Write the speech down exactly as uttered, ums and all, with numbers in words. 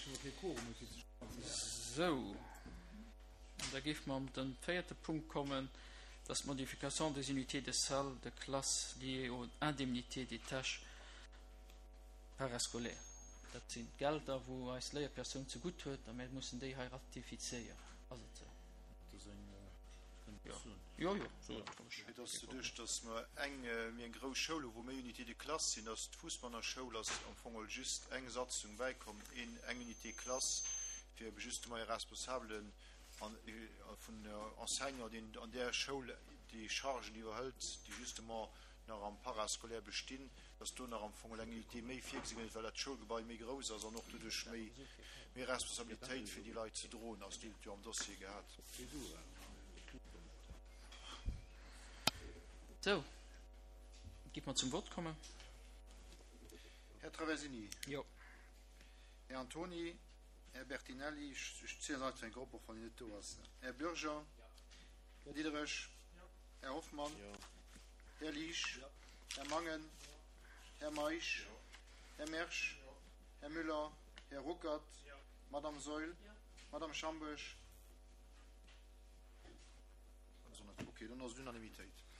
Sou, an da géife mer op de véierte Punkt kommen, dat ass d'Modification des unités de salle de classe liées aux indemnités des tâches parascolaires. Dat sinn d'Gelder, wou eis Léierpersoun zegutt huet, a mir mussen déi hei ratifizéieren. Ass et sou? Dat ass eng Jo, jo, so et roueg. Et ass doduerch, dass mer eng, mir eng grouss Schoul hu wou méi Unités de classe sinn, dass d'Fousbanner Schoul ass am Fong geholl just eng Satzung bäikomm, een, eng Unité classe, fir ebe justement e Responsabelen an, vun Enseignant, deen an där Schoul déi Chargen iwwerhëlt, déi justement nach am Parascolaire bestinn, dass do nach am Fong eng Unité méi virgesi gëtt, well dat Schoulgebai méi grouss ass an och doduerch méi, méi Responsabilitéit fir déi Leit ze droen ass. Dir hutt et jo am Dossier gehat. Sou, giff mer zum Vott kommen. Här Traversini. Jo. Här Antoni. Här Bertinelli, ech zielen se einfach eng Kéier op, och wann hien net do ass. Här Bürger. Här Diderich. Här Hoffmann. Här Liesch. Här Mangen. Här Meisch. Här Mersch. Här Müller. Här Ruckert. Madame Saeul. Madame Schambourg. Ok, dann ass et Unanimitéit.